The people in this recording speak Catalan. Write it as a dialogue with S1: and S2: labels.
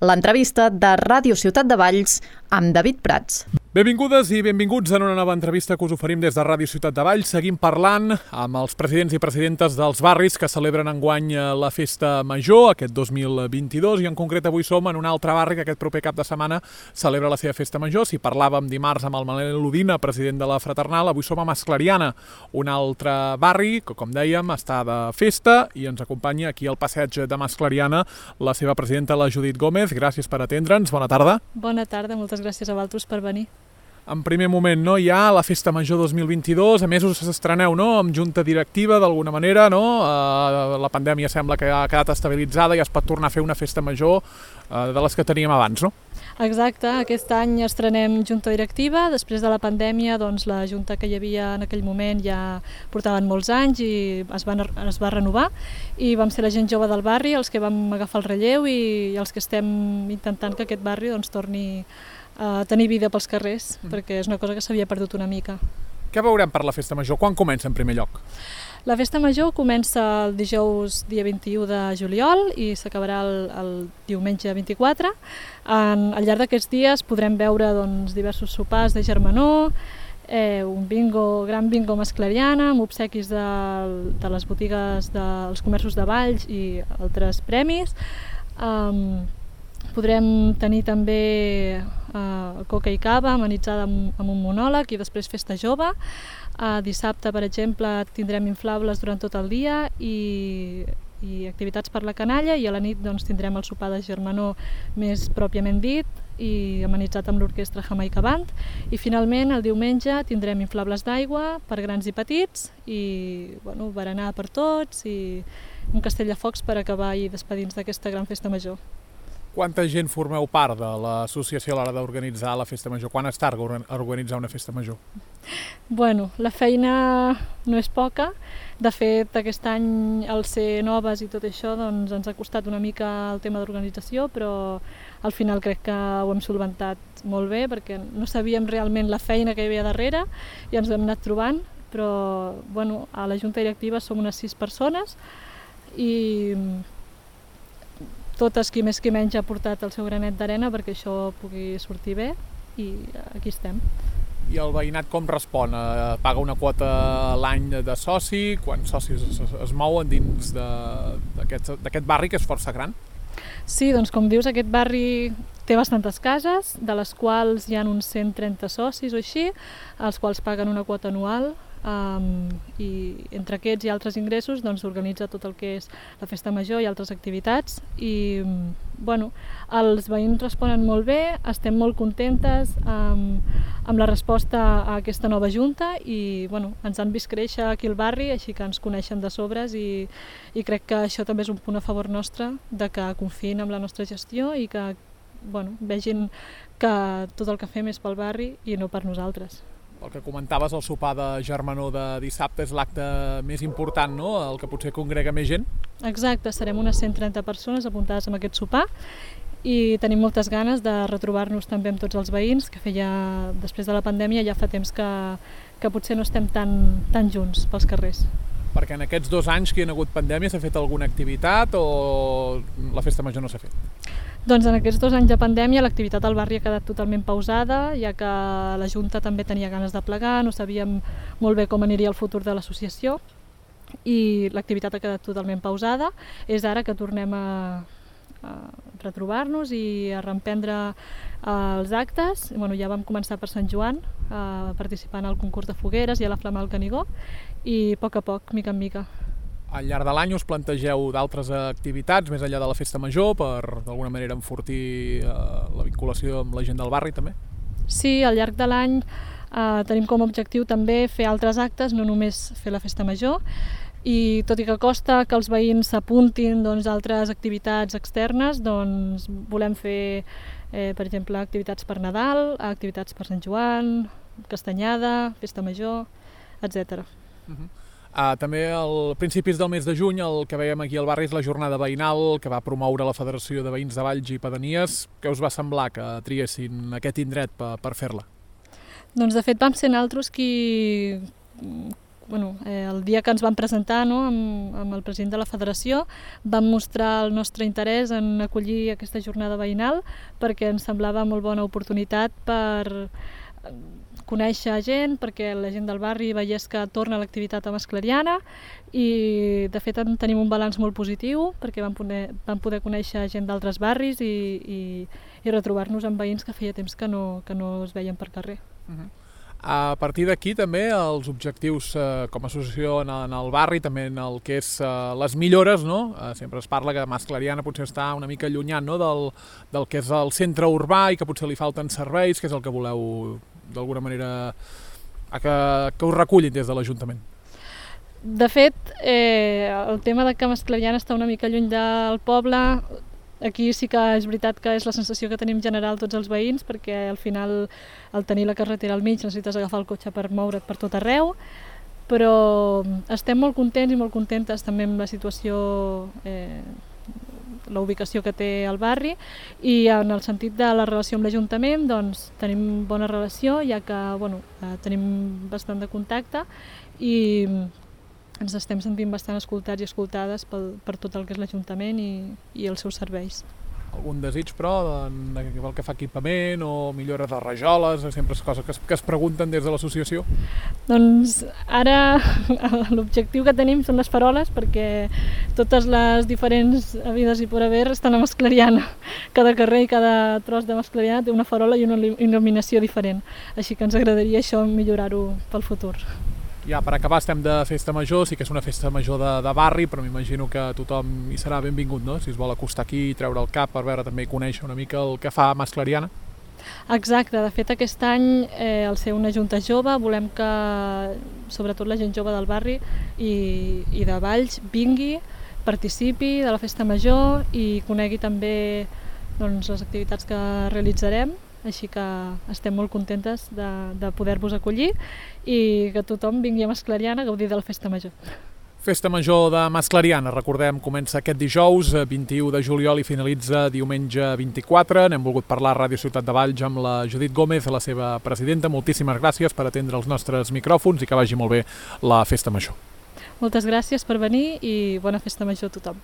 S1: l'entrevista de Ràdio Ciutat de Valls amb David Prats.
S2: Benvingudes i benvinguts en una nova entrevista que us oferim des de Ràdio Ciutat de Valls. Seguim parlant amb els presidents i presidentes dels barris que celebren enguany la Festa Major, aquest 2022, i en concret avui som en un altre barri que aquest proper cap de setmana celebra la seva Festa Major. Si parlàvem dimarts amb el Manel Udina, president de la Fraternal, avui som a Masclariana, un altre barri que, com dèiem, està de festa, i ens acompanya aquí al passeig de Masclariana la seva presidenta, la Judit Gómez. Gràcies per atendre'ns. Bona tarda.
S3: Bona tarda, moltes gràcies a vosaltres per venir.
S2: En primer moment, no, hi ha la Festa Major 2022, a més us estreneu, no?, amb junta directiva d'alguna manera, no? La pandèmia sembla que ha quedat estabilitzada i es pot tornar a fer una Festa Major de les que teníem abans, no?
S3: Exacte, aquest any estrenem junta directiva. Després de la pandèmia, doncs, la junta que hi havia en aquell moment ja portaven molts anys i es va renovar, i vam ser la gent jove del barri els que vam agafar el relleu i els que estem intentant que aquest barri doncs, torni a tenir vida pels carrers, perquè és una cosa que s'havia perdut una mica.
S2: Què veurem per la Festa Major? Quan comença en primer lloc?
S3: La Festa Major comença el dijous dia 21 de juliol i s'acabarà el diumenge 24. Al llarg d'aquests dies podrem veure doncs, diversos sopars de germanor, un gran bingo masclariana amb obsequis de les botigues dels comerços de Valls i altres premis. Podrem tenir també coca i cava amenitzada amb un monòleg i després festa jove. Dissabte, per exemple, tindrem inflables durant tot el dia i activitats per la canalla, i a la nit doncs, tindrem el sopar de germanor més pròpiament dit i amenitzat amb l'orquestra Jamaica Band. I finalment, el diumenge, tindrem inflables d'aigua per grans i petits i berenar per tots i un castell de focs per acabar i despedir-nos d'aquesta gran festa major.
S2: Quanta gent formeu part de l'associació a l'hora d'organitzar la Festa Major? Quan es tarda a organitzar una Festa Major?
S3: Bueno, la feina no és poca. De fet, aquest any, al ser noves i tot això, doncs, ens ha costat una mica el tema d'organització, però al final crec que ho hem solventat molt bé, perquè no sabíem realment la feina que hi havia darrere i ens ho hem anat trobant, però a la junta directiva som unes 6 persones i totes, qui més qui menys, ha portat el seu granet d'arena perquè això pugui sortir bé, i aquí estem.
S2: I el veïnat com respon? Paga una quota a l'any de soci? Quants socis es mouen dins d'aquest barri, que és força gran?
S3: Sí, doncs com dius, aquest barri té bastantes cases, de les quals hi ha uns 130 socis o així, els quals paguen una quota anual, i entre aquests i altres ingressos s'organitza tot el que és la Festa Major i altres activitats, i els veïns responen molt bé, estem molt contentes amb la resposta a aquesta nova junta i ens han vist créixer aquí al barri, així que ens coneixen de sobres, i crec que això també és un punt a favor nostre, de que confiïn en la nostra gestió i que vegin que tot el que fem és pel barri i no per nosaltres.
S2: El que comentaves, el sopar de germanor de dissabte és l'acte més important, no?, el que potser congrega més gent?
S3: Exacte, serem unes 130 persones apuntades en aquest sopar i tenim moltes ganes de retrobar-nos també amb tots els veïns, que després de la pandèmia ja fa temps que potser no estem tan junts pels carrers.
S2: Perquè en aquests 2 anys que hi ha hagut pandèmia s'ha fet alguna activitat o la Festa Major no s'ha fet?
S3: Doncs en aquests 2 anys de pandèmia l'activitat al barri ha quedat totalment pausada, ja que la Junta també tenia ganes de plegar, no sabíem molt bé com aniria el futur de l'associació i l'activitat ha quedat totalment pausada. És ara que tornem a retrobar-nos i a reemprendre els actes. Ja vam començar per Sant Joan, participant al concurs de fogueres i a la Flama del Canigó, i a poc, mica en mica.
S2: Al llarg de l'any us plantegeu d'altres activitats, més enllà de la Festa Major, per d'alguna manera enfortir la vinculació amb la gent del barri també? Sí,
S3: al llarg de l'any tenim com a objectiu també fer altres actes, no només fer la Festa Major, i tot i que costa que els veïns s'apuntin a altres activitats externes, volem fer, per exemple, activitats per Nadal, activitats per Sant Joan, Castanyada, Festa Major, etc.
S2: També a principis del mes de juny el que veiem aquí al barri és la jornada veïnal que va promoure la Federació de Veïns de Valls i Pedanies. Què us va semblar que triessin aquest indret per fer-la?
S3: Doncs de fet vam ser nosaltres qui el dia que ens vam presentar, no, amb el president de la federació, vam mostrar el nostre interès en acollir aquesta jornada veïnal perquè ens semblava molt bona oportunitat per conèixer gent, perquè la gent del barri veiés que torna l'activitat a Masclariana i de fet tenim un balanç molt positiu perquè vam poder conèixer gent d'altres barris i retrobar-nos amb veïns que feia temps que no es veien per carrer.
S2: A partir d'aquí també els objectius com a associació en el barri, també en el que és les millores, no? Sempre es parla que Masclariana potser està una mica allunyat, no? del que és el centre urbà i que potser li falten serveis, que és el que voleu d'alguna manera que us recullin des de l'Ajuntament.
S3: De fet, el tema de que Masclariana està una mica lluny del poble, aquí sí que és veritat que és la sensació que tenim general tots els veïns, perquè al final, al tenir la carretera al mig, necessites agafar el cotxe per moure't per tot arreu, però estem molt contents i molt contentes també amb la situació, la ubicació que té el barri, i en el sentit de la relació amb l'Ajuntament, doncs tenim bona relació, ja que tenim bastant de contacte i ens estem sentint bastant escoltats i escoltades per tot el que és l'Ajuntament i els seus serveis.
S2: Algun desig, però, pel que fa a equipament o millora de rajoles, sempre és cosa que es pregunten des de l'associació?
S3: Doncs ara l'objectiu que tenim són les faroles, perquè totes les diferents habides i por haver estan a Masclariana. Cada carrer i cada tros de Masclariana té una farola i una il·luminació diferent, així que ens agradaria això millorar-ho pel futur.
S2: Ja, per acabar, estem de festa major, sí que és una festa major de barri, però m'imagino que tothom hi serà benvingut, no? Si es vol acostar aquí i treure el cap per veure també i conèixer una mica el que fa Masclariana.
S3: Exacte, de fet aquest any al ser una junta jove volem que sobretot la gent jove del barri i de Valls vingui, participi de la festa major i conegui també les activitats que realitzarem. Així que estem molt contentes de poder-vos acollir i que tothom vingui a Masclariana a gaudir de la festa major.
S2: Festa major de Masclariana, recordem, comença aquest dijous, 21 de juliol i finalitza diumenge 24. N'hem volgut parlar a Ràdio Ciutat de Valls amb la Judit Gómez, la seva presidenta. Moltíssimes gràcies per atendre els nostres micròfons i que vagi molt bé la festa major.
S3: Moltes gràcies per venir i bona festa major a tothom.